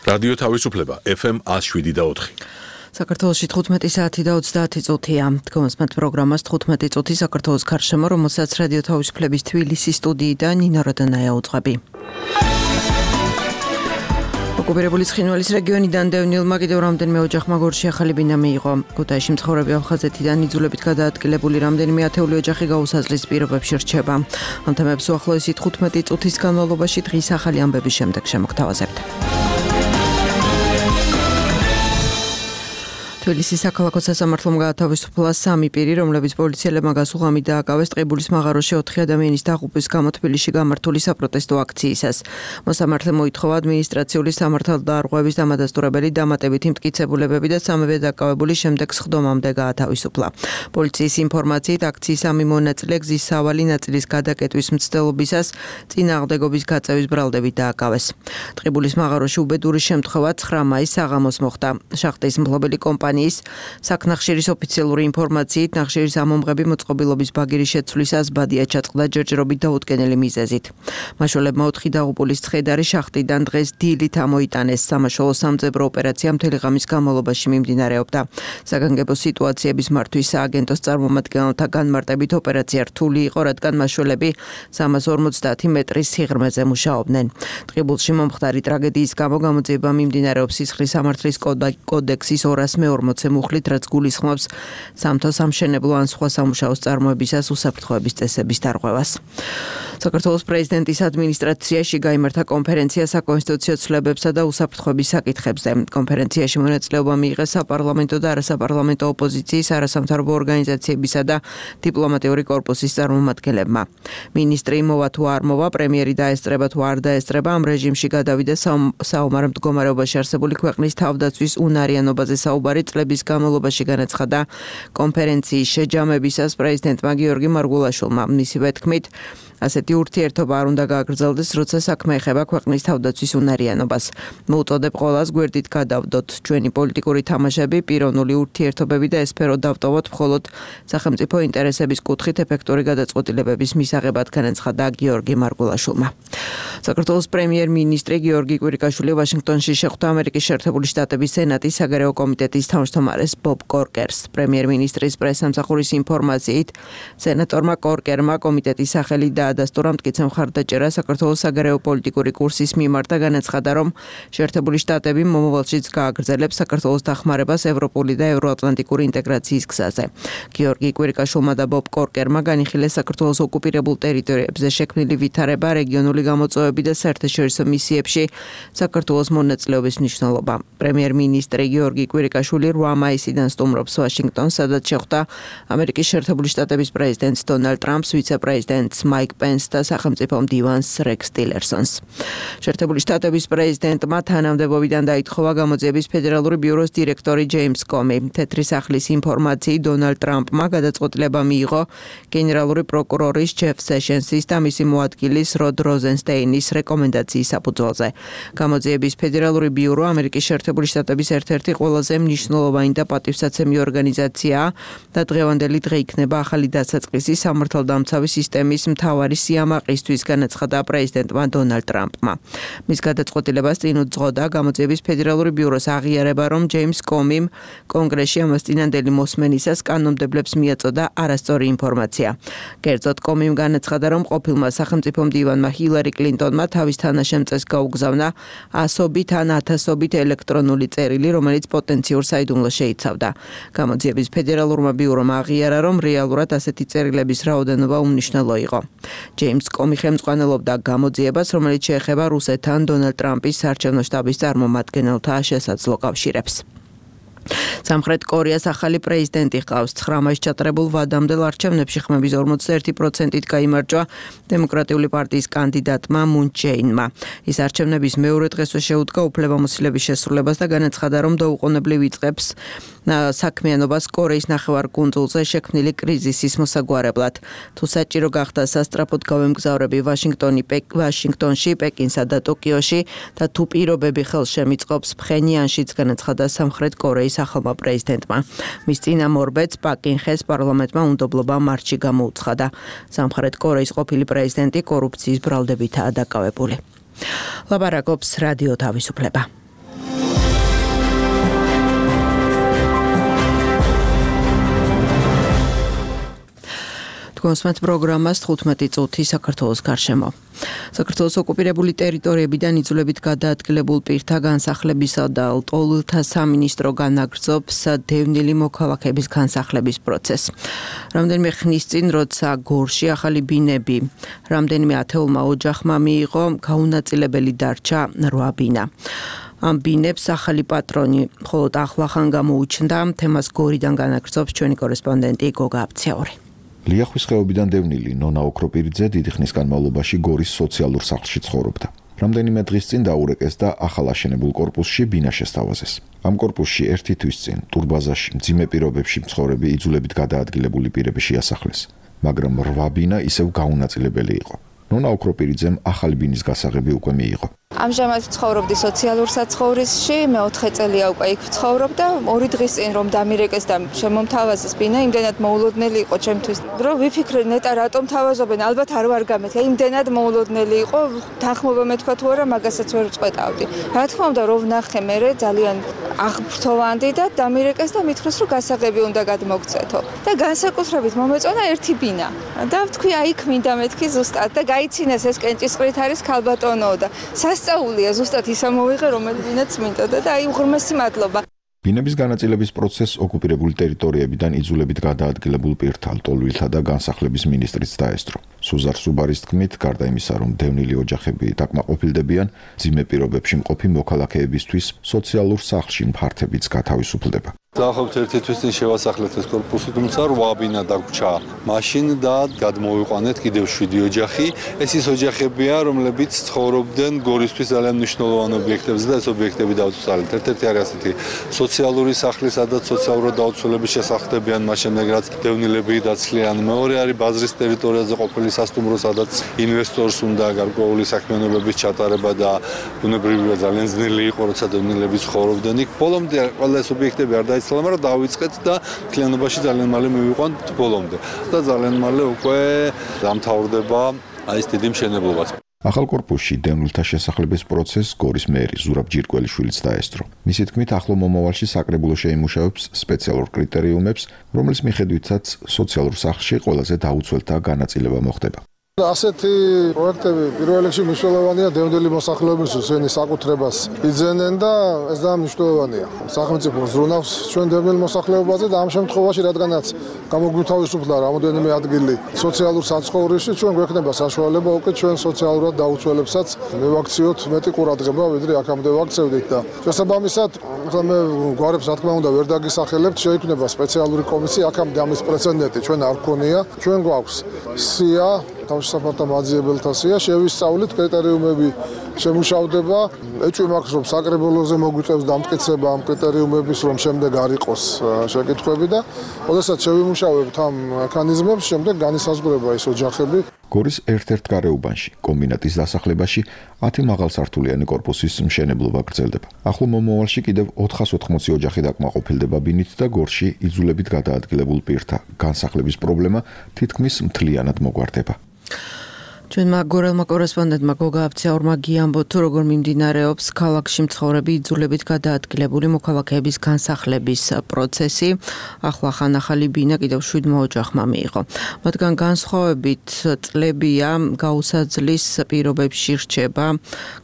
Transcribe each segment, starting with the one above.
რადიო თავისუფლება FM 107.4. საქართველოში 15 საათი და 30 წუთია. თქვენს პროგრამას 15 წუთი საქართველოს გარშემო, რომელსაც რადიო თავისუფლების თბილისის სტუდიიდან ნინო როდანაია უძღვები. ოკუპირებული ცხინვალის რეგიონიდან დევნილმა კიდევ რამდენიმე ოჯახმა გორში ახალი ბინა მიიღო. ქუთაისში მცხოვრები აფხაზეთიდან იძულებით გადაადგილებული რამდენიმე ათეული ოჯახი გაუსაზღვის პირობებში რჩება. ამ თემებს უახლოესი 15 წუთის განმავლობაში დღის ახალი ამბების შემდეგ შემოგთავაზებთ. თბილისის საქალაქო სასამართლომ გაათავისუფლა 3 პირი, რომლებიც პოლიციელებმა გასულღამი დააკავეს ტყიბულის მაღაროში 4 ადამიანის დაღუპვის გამო თბილისში გამართული საპროტესტო აქციისას. მოსამართლემ მოითხოვა ადმინისტრაციული სამართალდარღვევის დამადასტურებელი დამატებითი მტკიცებულებები და სამივე დაკავებული შემდეგ სხდომამდე გაათავისუფლა. პოლიციის ინფორმაციით აქციის სამი მონაწილე გზის სავალი ნაწილის გადაკეტვის მცდელობისას წინააღმდეგობის გაწევის ბრალდებით დააკავეს. ტყიბულის მაღაროში უბედური შემთხვევა 9 მაისს საღამოს მოხდა. შახტის მფლობელი კომპანიის საქნახშირის ოფიციალური ინფორმაციით ნახშირის ამომღები მოწყობილობის ბაგირის შეცვლისას ბადია ჩაწყდა ჯერჯერობით დაუდგენელი მიზეზით. მაშველებმა 4 დაღუპულის ცხედარი შახტიდან დღეს დილით ამოიტანეს. სამაშველო სამძებრო ოპერაცია მთელი ღამის განმავლობაში მიმდინარეობდა. საგანგებო სიტუაციების მართვის სააგენტოს წარმომადგენელთა განმარტებით ოპერაცია რთული იყო, რადგან მაშველები 350 მეტრის სიღრმეზე მუშაობდნენ. ტყიბულში მომხდარი ტრაგედიის გამო გამოძიება მიმდინარეობს სისხლის სამართლის კოდექსის 240 მუხლით, რაც გულისხმობს სამთო სამშენებლო ან სხვა სამუშაოს წარმოებისას უსაფრთხოების წესების დარღვევას. საქართველოს პრეზიდენტის ადმინისტრაციაში გაიმართა კონფერენცია საკონსტიტუციო ცვლილებებსა და უსაფრთხოების საკითხებზე. კონფერენციაში მონაწილეობა მიიღეს საპარლამენტო და არასაპარლამენტო ოპოზიციის, არასამთავრობო ორგანიზაციებისა და დიპლომატიური კორპუსის წარმომადგენლებმა. მინისტრი მოვა თუ არ მოვა, პრემიერი დაესწრება თუ არ დაესწრება, ამ რეჟიმში გადავიდა საომარ მდგომარეობაში არსებული ქვეყნის თავდაცვის უნარიანობაზე საუბარი წლების განმავლობაში განაცხადა კონფერენციის შეჯამებისას პრეზიდენტმა გიორგი მარგულაშვილმა. მისივე თქმით, ასეთი ურთიერთობა არ უნდა გააგრძელდეს, როცა საქმე ეხება ქვეყნის თავდაცვის უნარიანობას. მოუწოდებ ყველას გვერდით გადავდოთ ჩვენი პოლიტიკური თამაშები, პიროვნული ურთიერთობები და ეს სფერო დავტოვოთ მხოლოდ სახელმწიფო ინტერესების კუთხით ეფექტური გადაწყვეტილებების მისაღებად, განაცხადა გიორგი მარგულაშვილმა. საქართველოს პრემიერ-მინისტრი გიორგი კვირიკაშვილი ვაშინგტონში შეხვდა ამერიკის შეერთებული შტატების სენატის საგარეო კომიტეტის თავმჯდომარეს ბობ კორკერს. პრემიერ-მინისტრის პრესსამსახურის ინფორმაციით, სენატორმა კორკერმა კომიტეტის სახელი დაადასტურა მტკიცე მხარდაჭერა საქართველოს საგარეო პოლიტიკური კურსის მიმართ და განაცხადა, რომ შეერთებული შტატები მომავალშიც გააგრძელებს საქართველოს დახმარებას ევროპული და ევროატლანტიკური ინტეგრაციის გზაზე. გიორგი კვირიკაშვილმა და ბობ კორკერმა განიხილეს საქართველოს ოკუპირებულ ტერიტორიებზე შექმნილი ვითარება, რეგიონული გამოწვევები და საერთაშორისო მისიებში საქართველოს მონაწილეობის მნიშვნელობა. პრემიერ-მინისტრი გიორგი კვირიკაშვილი 8 მაისიდან სტუმრობს ვაშინგტონს, სადაც შეხვდა ამერიკის შეერთებული შტატების პრეზიდენტს დონალდ ტრამპს, ვიცე-პრეზიდენტს მაიკ პენსს და სახელმწიფო მდივანს რექს ტილერსონს. შეერთებული შტატების პრეზიდენტმა თანამდებობიდან დაითხოვა გამოძიების ფედერალური ბიუროს დირექტორი ჯეიმს კომი. თეთრი სახლის ინფორმაციით, დონალდ ტრამპმა გადაწყვეტილება მიიღო გენერალური პროკურორის ჯეფ სეშენსის და მისი მოადგილის როდ როზენსტეინის რეკომენდაციის საფუძველზე. გამოძიების ფედერალური ბიურო ამერიკის შეერთებული შტატების ერთ-ერთი ყველაზე მნიშვნელოვანი და პატივსაცემი ორგანიზაციაა და დღევანდელი დღე იქნება ახალი დასაწყისი სამართალდამცავი სისტემის მთავარი სიამაყისთვის, განაცხადა პრეზიდენტმა დონალდ ტრამპმა. მის გადაწყვეტილებას წინ უძღოდა გამოძიების ფედერალური ბიუროს აღიარება, რომ ჯეიმს კომიმ კონგრესში ამას წინანდელი მოსმენისას კანონმდებლებს მიაწოდა არასწორი ინფორმაცია. კერძოდ კომიმ განაცხადა, რომ ყოფილმა სახელმწიფო მდივანმა ჰილარი კლინტონმა თავის თანაშემწეს გაუგზავნა ასობით ან ათასობით ელექტრონული წერილი, რომელიც პოტენციურ საიდუმლოს შეიცავდა. გამოძიების ფედერალურმა ბიურომ აღიარა, რომ რეალურად ასეთი წერილების რაოდენობა უმნიშვნელო იყო. ჯეიმს კომი ხელმძღვანელობდა გამოძიებას, რომელიც შეეხება რუსეთთან დონალდ ტრამპის საარჩევნო შტაბის წარმომადგენელთა შესაძლო კავშირებს. სამხრეთ კორეას ახალი პრეზიდენტი ჰყავს. 9 მაისს ჩატარებულ ვადამდელ არჩევნებში ხმების 41%-ით გაიმარჯვა დემოკრატიული პარტიის კანდიდატმა მუნ ჯეინმა. ის არჩევნების მეორე დღესვე შეუდგა უფლებამოსილების შესრულებას და განაცხადა, რომ დაუყოვნებლივ იწყებს საქმიანობას კორეის ნახევარკუნძულზე შექმნილი კრიზისის მოსაგვარებლად. თუ საჭირო გახდა სასტრაფოდ გავემგზავრები ვაშინგტონში, პეკინსა და ტოკიოში და თუ პირობები ხელს შემიწყობს ფხენიანშიც, განაცხადა სამხრეთ კორეის ახალმა პრეზიდენტმა. მის წინამორბედს პაკინხეს პარლამენტმა უნდობლობა მარტში გამოუცხადა. სამხრეთ კორეის ყოფილი პრეზიდენტი კორუფციის ბრალდებითაა დაკავებული. ლაპარაკობს რადიო თავისუფლება. გოსმეთ პროგრამას 15 წუთი საქართველოს გარშემო. საქართველოს ოკუპირებული ტერიტორიებიდან იძულებით გადაადგილებულ პირთა განსახლებისა და ლტოლვილთა სამინისტრო განაგრძობს დევნილი მოქალაქეების განსახლების პროცესს. რამდენიმე ხნის წინ, როცა გორში ახალი ბინები რამდენიმე ათეულმა ოჯახმა მიიღო, გაუნაწილებელი დარჩა 8 ბინა. ამ ბინებს ახალი პატრონი მხოლოდ ახლახან გამოუჩნდა. თემას გორიდან განაგრძობს ჩვენი კორესპონდენტი გოგა აბცაური. ლიახვის ხეობიდან დევნილი ნონა ოქროპირიძე დიდი ხნის განმავლობაში გორის სოციალურ სახლში ცხოვრობდა. რამდენიმე დღის წინ დაურეკეს და ახალ აშენებულ კორპუსში ბინა შესთავაზეს. ამ კორპუსში ერთი თვის წინ ტურბაზაში მძიმე პირობებში მცხოვრები იძულებით გადაადგილებული პირები შეასახლეს, მაგრამ 8 ბინა ისევ გაუნაწილებელი იყო. ნონა ოქროპირიძემ ახალი ბინის გასაღები უკვე მიიღო. ამჟამად ცხოვრობდი სოციალურ საცხოვრისში, მე 4 წელია უკვე იქ ვცხოვრობ და 2 დღის წინ რომ დამირეკეს და შემომთავაზეს ბინა, იმდენად მოულოდნელი იყო ჩემთვის, რომ ვიფიქრე ნეტა რატომ თავაზობენ, ალბათ არ ვარ გამეთქე, იმდენად მოულოდნელი იყო, თანხმობა მეთქვა თუ არა, მაგასაც ვერ წყვეტავდი. რა თქმა უნდა, რომ ვნახე მე ძალიან აღფრთოვანდი და დამირეკეს და მითხრეს, რომ გასაღები უნდა გადმოგცეთო. და განსაკუთრებით მომეწონა ერთი ბინა. და ვთქვი, აი იქ მინდა მეთქი ზუსტად და გაიცინეს ეს კენჭისყრით არის ქალბატონო და სასწაულია ზუსტად ისა მოვიღე, რომელიღაც მინდოდა და აი უღრმესი მადლობა. ბინების განაწილების პროცესს ოკუპირებული ტერიტორიებიდან იძულებით გადაადგილებულ პირთა ლტოლვილთა და განსახლების მინისტრიც დაესწრო. სუზარ სუბარის თქმით, გარდა იმისა, რომ დევნილი ოჯახები დაკმაყოფილდებიან, მძიმე პირობებში მყოფი მოქალაქეებისთვის სოციალურ სახლში ფართებიც გათავისუფლდება. დაახლოებით ერთი თვის წინ შევასახლეთ ეს კორპუსი, თუმცა 8 ბინა დაგვრჩა მაშინ და გადმოვიყვანეთ კიდევ 7 ოჯახი. ეს ის ოჯახებია, რომლებიც ცხოვრობდნენ გორისთვის ძალიან მნიშვნელოვან ობიექტებზე და ეს ობიექტები დავწვალეთ. ერთ-ერთი არის ასეთი სოციალური სახლი, სადაც სოციალურად დაუცველები შესახდებიან, მას შემდეგ რაც დევნილები დაცლიან. მეორე არის ბაზრის ტერიტორიაზე ყოფილი სასტუმრო, სადაც ინვესტორს უნდა გარკვეული საქმიანობების ჩატარება და ბუნებრივია ძალიან ძნელი იყო, როცა დევნილები ცხოვრობდნენ იქ. ბოლომდე ყველა ეს ობიექტები არ მაგრამ დავიწყეთ და მთლიანობაში ძალიან მალე მივიყვანთ ბოლომდე და ძალიან მალე უკვე დამთავრდება აი ეს დიდი მშენებლობაც. ახალ კორპუსში დევნილთა შესახლების პროცესს გორის მერი ზურაბ ჯირკველიშვილიც დაესწრო. მისი თქმით, ახლო მომავალში საკრებულო შეიმუშავებს სპეციალურ კრიტერიუმებს, რომლის მიხედვითაც სოციალურ სახლში ყველაზე დაუცველთა განაწილება მოხდება. ასეთი პროექტები პირველ რიგში მნიშვნელოვანია დევნილი მოსახლეობისთვის, ვინც საკუთრებას იძენენ და ეს ძალიან მნიშვნელოვანია. სახელმწიფო ზრუნავს ჩვენ დევნილ მოსახლეობაზე და ამ შემთხვევაში, რადგანაც გამოგვთავისუფლდა რამოდენიმე ადგილი სოციალურ საცხოვრისში, ჩვენ გვექნება საშუალება უკვე ჩვენ სოციალურად დაუცველებსაც მივაქციოთ მეტი ყურადღება, ვიდრე აქამდე ვაქცევდით და შესაბამისად, ახლა მე გვარებს რა თქმა უნდა ვერ დაგისახელებთ, შეიქმნება სპეციალური კომისია, აქამდე ამის პრეცედენტი ჩვენ არ გქონია, ჩვენ გვაქვს სია თავშესაფართა მაძიებელთა სია, შევისწავლით კრიტერიუმები შემუშავდება, ეჭვი მაქვს რომ საკრებულოზე მოგვიწევს დამტკიცება ამ კრიტერიუმების, რომ შემდეგ არ იყოს შეკითხვები და ოდესაც შევიმუშავებთ ამ მექანიზმებს, შემდეგ განისაზღვრება ეს ოჯახები. გორის ერთ-ერთ გარეუბანში, კომბინატის დასახლებაში 10 მაღალსართულიანი კორპუსის მშენებლობა გრძელდება. ახლო მომავალში კიდევ 480 ოჯახი დაკმაყოფილდება ბინით და გორში იძულებით გადაადგილებულ პირთა განსახლების პრობლემა თითქმის მთლიანად მოგვარდება. ჩვენმა გორელმა კორესპონდენტმა გოგა აბცაურმა გიამბო თუ როგორ მიმდინარეობს ქალაქში მცხოვრები იძულებით გადაადგილებული მოქალაქეების განსახლების პროცესი. ახლახან ახალი ბინა კიდევ 7 ოჯახმა მიიღო. მათგან განსხვავებით წლებია გაუსაძლის პირობებში რჩება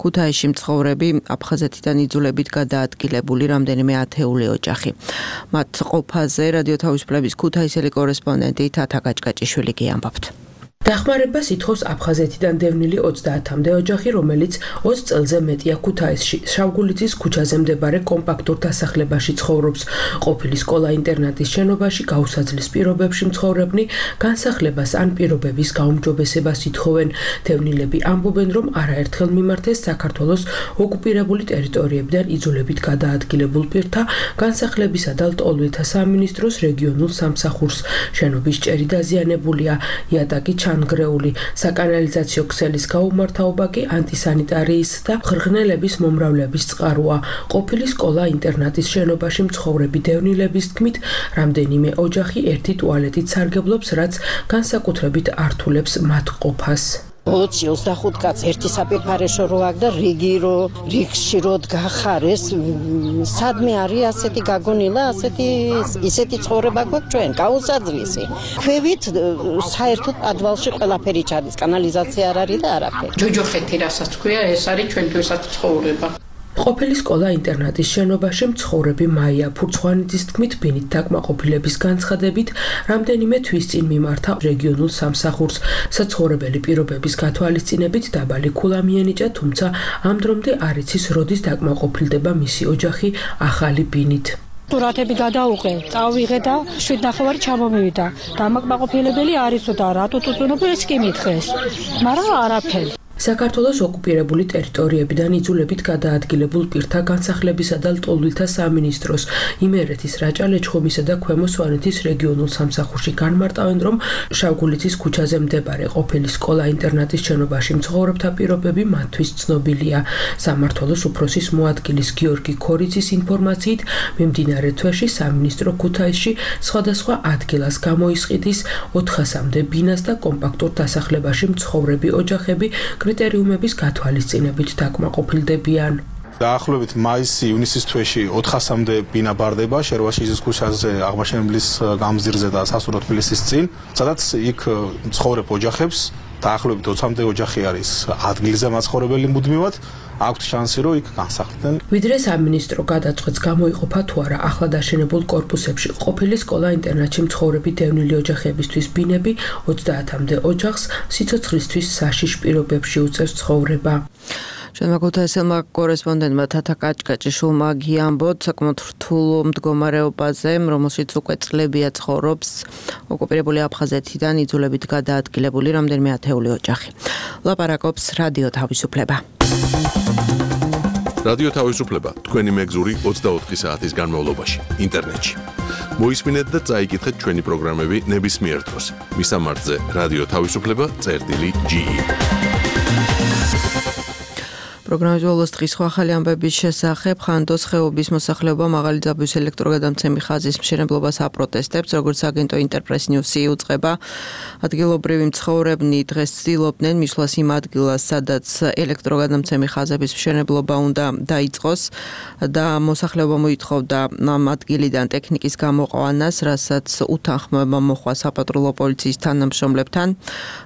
ქუთაისში მცხოვრები აფხაზეთიდან იძულებით გადაადგილებული რამდენიმე ათეული ოჯახი. მათ ყოფაზე რადიო თავისუფლების ქუთაისელი კორესპონდენტი თათა გაჭკაჭიშვილი გიამბობთ. დახმარებას ითხოვს აფხაზეთიდან დევნილი 30-მდე ოჯახი, რომელიც 20 წელზე მეტია ქუთაისში, შავგულიძის ქუჩაზე მდებარე კომპაქტურ დასახლებაში ცხოვრობს. ყოფილი სკოლა-ინტერნატის შენობაში გაუსაძლის პირობებში მცხოვრებნი განსახლებას ან პირობების გაუმჯობესებას ითხოვენ. დევნილები ამბობენ, რომ არაერთხელ მიმართეს საქართველოს ოკუპირებული ტერიტორიებიდან იძულებით გადაადგილებულ პირთა განსახლებისა და ლტოლვილთა სამინისტროს რეგიონულ სამსახურს. შენობის ჭერი დაზიანებულია, იატაკი ჩანგრეული, საკანალიზაციო ქსელის გაუმართავობა კი ანტისანიტარიის და ღრღნელების მომრავლების წყაროა. ყოფილი სკოლა-ინტერნატის შენობაში მცხოვრები დევნილების თქმით, რამდენიმე ოჯახი ერთი ტუალეტით სარგებლობს, რაც განსაკუთრებით ართულებს მათ ყოფას. 25 კაც ერთი საპირფარეშო რო აქ და რიგში რო გახარეს სადმე არის ასეთი გაგონილა ისეთი ცხოვრება გვაქვს ჩვენ გაუსაძლისი ქვევით საერთოდ პადვალში ყველაფერი ჩადის კანალიზაცია არ არის და არაფერი ჯოჯოხეთი რასაც ქვია ეს არის ჩვენთვისაც ცხოვრება ყოფილი სკოლა-ინტერნატის შენობაში მცხოვრები მაია ფურცხვანიძის თქმით ბინით დაკმაყოფილების განცხადებით რამდენიმე თვის წინ მიმართა რეგიონულ სამსახურს საცხოვრებელი პირობების გათვალისწინებით დაბალი ქულა მიენიჭა თუმცა ამ დრომდე არ იცის როდის დაკმაყოფილდება მისი ოჯახი ახალი ბინით სურათები გადაუყე, წავიღე და 7.5 ჩამომივიდა. დამაკმაყოფილებელი არისო და რატო წუწუნობ ეს კი მითხეს. მაგრამ არაფერი. საქართველოს ოკუპირებული ტერიტორიებიდან იძულებით გადაადგილებულ პირთა განსახლებისა და ლტოლვილთა სამინისტროს იმერეთის რაჭა-ლეჩხუმისა და ქვემო სვანეთის რეგიონულ სამსახურში განმარტავენ, რომ შავგულიცის ქუჩაზე მდებარე ყოფილი სკოლა-ინტერნატის შენობაში მცხოვრებთა პირობები მათთვის ცნობილია. სამმართველოს უფროსის მოადგილის გიორგი ქორიძის ინფორმაციით, მიმდინარე თვეში სამინისტრო ქუთაისში სხვადასხვა ადგილას გამოისყიდის 400-მდე ბინას და კომპაქტურ დასახლებაში მცხოვრები ოჯახები კრიტერიუმების გათვალისწინებით დაკმაყოფილდებიან. დაახლოებით მაის-ივნისის თვეში 400-მდე ბინა ბარდება შერვაშიძის ქუჩაზე აღმაშენებლის გამზირზე და სასულო თბილისის წინ, სადაც იქ მცხოვრებ ოჯახებს დაახლოებით 20-მდე ოჯახი არის ადგილზე მაცხოვრებელი მუდმივად, აქვთ შანსი რომ იქ განსახლდნენ. ვიდრე სამინისტრო გადაწყვეტს გამოიყოფა თუ არა ახლად აშენებულ კორპუსებში ყოფილი სკოლა-ინტერნატში მცხოვრები დევნილი ოჯახებისთვის ბინები 30-მდე ოჯახს სიცოცხლისთვის საშიშ პირობებში უწევს ცხოვრება. ჩვენმა ქუთაისელმა კორესპონდენტმა თათა კაჭკაჭიშვილმა გიამბოთ საკმაოდ რთულ მდგომარეობაზე, რომელშიც უკვე წლებია ცხოვრობს ოკუპირებული აფხაზეთიდან იძულებით გადაადგილებული რამდენიმე ათეული ოჯახი. ლაპარაკობს რადიო თავისუფლება. რადიო თავისუფლება თქვენი მეგზური 24 საათის განმავლობაში ინტერნეტში. მოისმინეთ და წაიკითხეთ ჩვენი პროგრამები ნებისმიერ დროს. მისამართზე რადიო თავისუფლება.ge პროგრამის ბოლოს დღის ახალი ამბების შესახებ ხანდოს ხეობის მოსახლეობა მაღალი ძაბვის ელექტროგადამცემი ხაზის მშენებლობას აპროტესტებს, როგორც აგენტო ინტერპრეს ნიუსი უწყება. ადგილობრივი მცხოვრებნი დღეს ცდილობდნენ მისვლას იმ ადგილას, სადაც ელექტროგადამცემი ხაზების მშენებლობა უნდა დაიწყოს და მოსახლეობა მოითხოვდა ამ ადგილიდან ტექნიკის გამოყვანას, რასაც უთანხმოება მოხდა საპატრულო პოლიციის თანამშრომლებთან.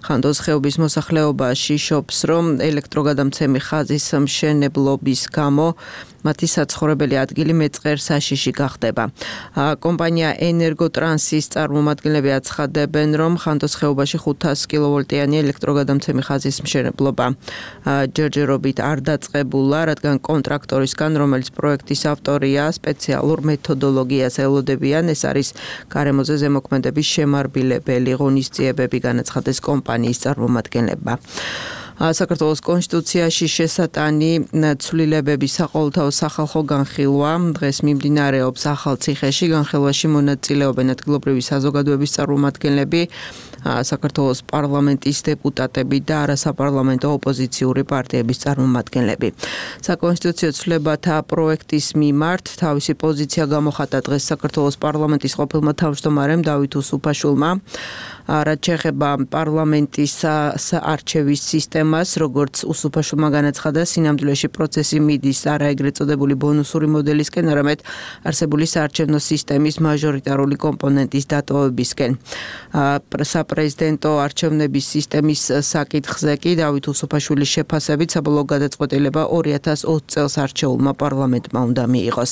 ხანდოს ხეობის მოსახლეობა შიშობს, რომ ელექტროგადამცემი ხაზის მშენებლობის გამო მათი საცხოვრებელი ადგილი მეწყერ საშიში გახდება. კომპანია ენერგოტრანსის წარმომადგენლები აცხადებენ, რომ ხანდოს ხეობაში 500 კილოვოლტიანი ელექტროგადამცემი ხაზის მშენებლობა ჯერჯერობით არ დაწყებულა, რადგან კონტრაქტორისგან, რომელიც პროექტის ავტორია, სპეციალურ მეთოდოლოგიას ელოდებიან. ეს არის გარემოზე ზემოქმედების შემარბილებელი ღონისძიებები, განაცხადეს კომპანიის წარმომადგენლებმა. საქართველოს კონსტიტუციაში შესატანი ცვლილებები საყოველთაო სახალხო განხილვა დღეს მიმდინარეობს ახალციხეში. განხილვაში მონაწილეობენ ადგილობრივი საზოგადოების წარმომადგენლები, საქართველოს პარლამენტის დეპუტატები და არასაპარლამენტო ოპოზიციური პარტიების წარმომადგენლები. საკონსტიტუციო ცვლილებათა პროექტის მიმართ თავისი პოზიცია გამოხატა დღეს საქართველოს პარლამენტის ყოფილმა თავმჯდომარემ დავით უსუფაშვილმა. რაც შეეხება პარლამენტის არჩევის სისტემას, როგორც უსუფაშვილმა განაცხადა, სინამდვილეში პროცესი მიდის არა ეგრეთ წოდებული ბონუსური მოდელისკენ, არამედ არსებული საარჩევნო სისტემის მაჟორიტარული კომპონენტის დატოვებისკენ. საპრეზიდენტო არჩევნების სისტემის საკითხზე კი დავით უსუფაშვილის შეფასებით საბოლოო გადაწყვეტილება 2020 წელს არჩეულმა პარლამენტმა უნდა მიიღოს.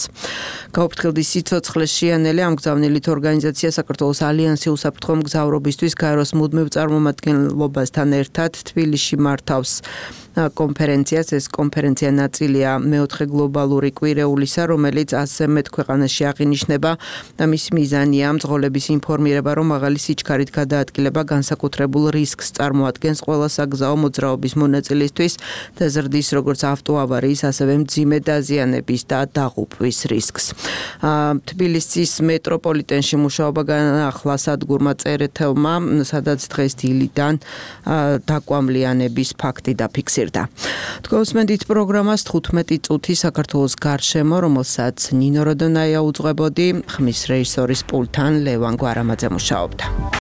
გაუფრთხილდი სიცოცხლე შეანელი ამგზავნილით ორგანიზაცია საქართველოს ალიანსი უსაფრთხო მგზავრობისთვის გაეროს მუდმივ წარმომადგენლობასთან ერთად თბილისში მართავს კონფერენციას. ეს კონფერენცია ნაწილია მეოთხე გლობალური კვირეულისა, რომელიც 100-ზე მეტ ქვეყანაში აღინიშნება და მისი მიზანია მძღოლების ინფორმირება, რომ მაღალი სიჩქარით გადაადგილება განსაკუთრებულ რისკს წარმოადგენს ყველა საგზაო მოძრაობის მონაწილისთვის და ზრდის როგორც ავტოავარიის, ასევე მძიმე დაზიანების და დაღუპვის რისკს. თბილისის მეტროპოლიტენში მუშაობა განაახლა სადგურმა წერეთელმა, სადაც დღეს დილიდან დაკვამლიანების ფაქტი დაფიქსირდა. თქვენსმენდით პროგრამას 15 წუთი საქართველოს გარშემო, რომელსაც ნინო როდონაია უძღვებოდი, ხმის რეჟისორის პულტთან ლევან გვარამაძე მუშაობდა.